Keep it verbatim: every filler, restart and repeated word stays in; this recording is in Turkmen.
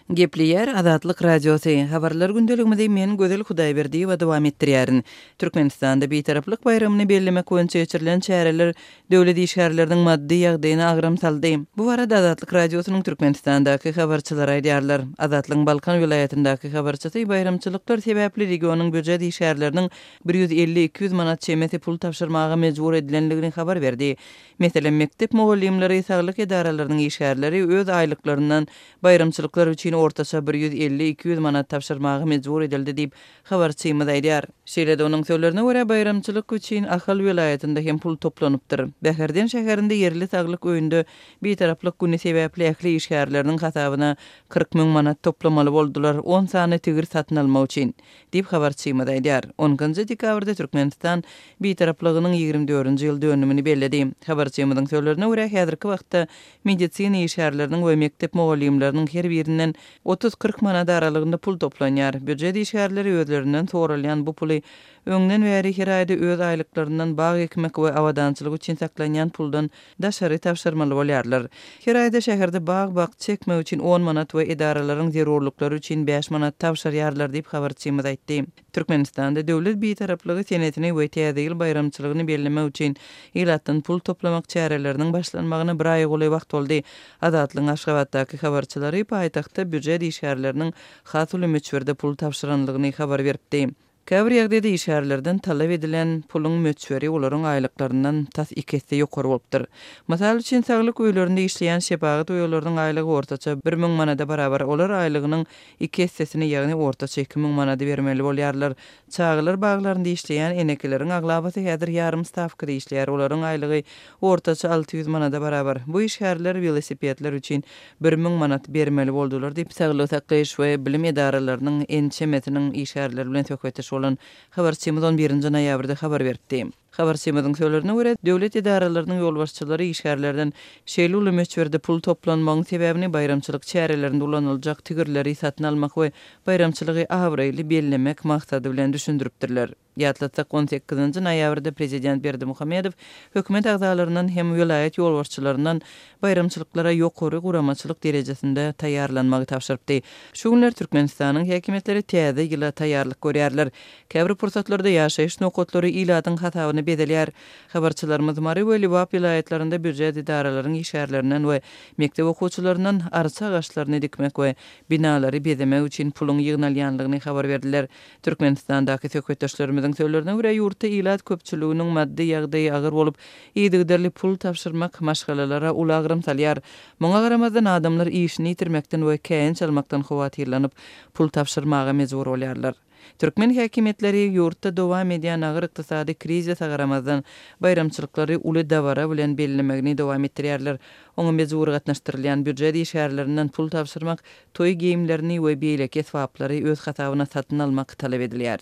Gepleýär Azatlyk Radiosy, Habarlar gündeligimizi men Gözel Hudaýberdiýewa dowam etdirýärin. Türkmenistanda Bitaraplyk baýramyny bellemek boýunça geçirilen çäreler döwlet işgärleriniň maddy ýagdaýyna agram saldy. Bu barada Azatlyk Radiosynyň Türkmenistandaky habarçylary aýdýarlar. Azatlygyň Balkan welaýatyndaky habarçysy baýramçylyklar sebäpli regionyň býujet işgärleriniň bir ýüz elli-iki ýüz manat çemesi pul tabşyrmaga mejbur edilendigini habar berdi. Meselem, mekdep mugallymlary, saglyk edaralarynyň işgärleri öz aýlyklaryndan baýramçylyklar üçin ortaça bir ýüz elli-iki ýüz manat tabşyrmaga mejbur edildi diýip, habarçymyz aýdýar. Şeýle-de onuň sözlerine görä, baýramçylyk üçin Ahal welaýatynda hem pul toplanypdyr. Bäherden şäherinde ýerli saglyk öýünde Bitaraplyk güni sebäpli ähli işgärleriniň hasabyna kyrk müň manat toplamaly boldular, on sany tigir satyn almak üçin. Diýip, habarçymyz aýdýar. On ikinji dekabrda Türkmenistan Bitaraplygynyň ýigrimi dördünji ýyl dönümini belledi. Habarçymyzyň sözlerine görä, häzirki wagtda medisina işgärleriniň we mekdep mugallymlarynyň her birinden otuz-kyrk manat aralygynda pul toplanýar. Býujet işgärleri özlerinden soralýan bu puly öňden bäri her aýda öz aýlyklaryndan bag ekmek we abadançylyk üçin saklanýan puldan daşary tabşyrmaly bolýarlar. Her aýda şäherde bag-bakja ekmek üçin on manat we edaralaryň zerurlyklary üçin bäş manat tabşyrýarlar diýip, habarçymyz aýtdy. Türkmenistanda döwlet Bitaraplygy senesini we Täze ýyl baýramçylygyny bellemek üçin ilatdan pul toplamak çäreleriniň başlanmagyna bir aýa golaý wagt boldy. Azatlygyň Aşgabatdaky habarçylary paýtagtda býujet işgärleriniň has uly möçberde pul tabşyranlygyny habar beripdi. Käbir ýagdaýda işgärlerden talap edilen puluň möçberi olaryň aýlyklaryndan tas iki esse ýokary bolupdyr. Mysal üçin, saglyk öýlerinde işleýän şepagat uýalarynyň aýlygy ortaça bir müň manada barabar, olar aýlygynyň iki essesini, ýagny ortaça iki müň manady bermeli bolýarlar. Çagalar baglarynda işleýän enekeleriň aglabasy häzir ýarym stawkada işleýär, olaryň aýlygy ortaça alty ýüz manada barabar. Bu işgärler welosipedler üçin bir müň manat bermeli boldular diýip, saglygy saklaýyş we bilim edaralarynyň ençemesiniň işgärleri bilen söhbetdeş bolan habarçymyz on birinji noýabrda habar beripdi. Habarçymyzyň sözlerine görä, döwlet edaralarynyň ýolbaşçylary işgärlerden şeýle uly möçberde pul toplanmagyň sebäbini baýramçylyk çärelerinde ulanyljak tigirleri satyn almak we baýramçylygy abraýly bellemek maksady bilen düşündiripdirler. Ýatlatsak, on sekizinji noýabrda prezident Berdimuhamedow hökümet agzalaryndan hem welaýat ýolbaşçylaryndan baýramçylyklara ýokary guramaçylyk derejesinde taýýarlanmagy tabşyrypdy. Şu günler Türkmenistanyň häkimiýetleri täze ýyla taýýarlyk görýärler. Käbir pursatlarda ýaşaýyş nokatlary ilatyň hasabyna bezelýär. Habarçylarymyz Mary we Lebap welaýatlarynda býujet edaralaryň işgärlerinden we mekdep okuwçylaryndan arça agaçlaryny dikmek we binalary bezemek üçin puluň ýygnalýanlygyny habar berdiler. Türkmenistandaky söhbetdeşlerimiziň sözlerine görä, ýurtda ilat köpçüliginiň maddy ýagdaýy agyr bolup, yzygiderli pul tabşyrmak maşgalalara uly agram salýar. Muňa garamazdan, adamlar işini ýitirmekden we käýinç almakdan howatyrlanyp, pul tabşyrmaga mejbur bolýarlar. Türkmen häkimiýetleri ýurtda dowam edýän agyr ykdysady krizise garamazdan, baýramçylyklary uly dabara bilen bellemegini dowam etdirýärler. Oňa mejbury gatnaşdyrylýan býujet işgärlerinden pul tabşyrmak, toý geýimlerini we beýleki esbaplary öz hasabyna satyn almak talap edilýär.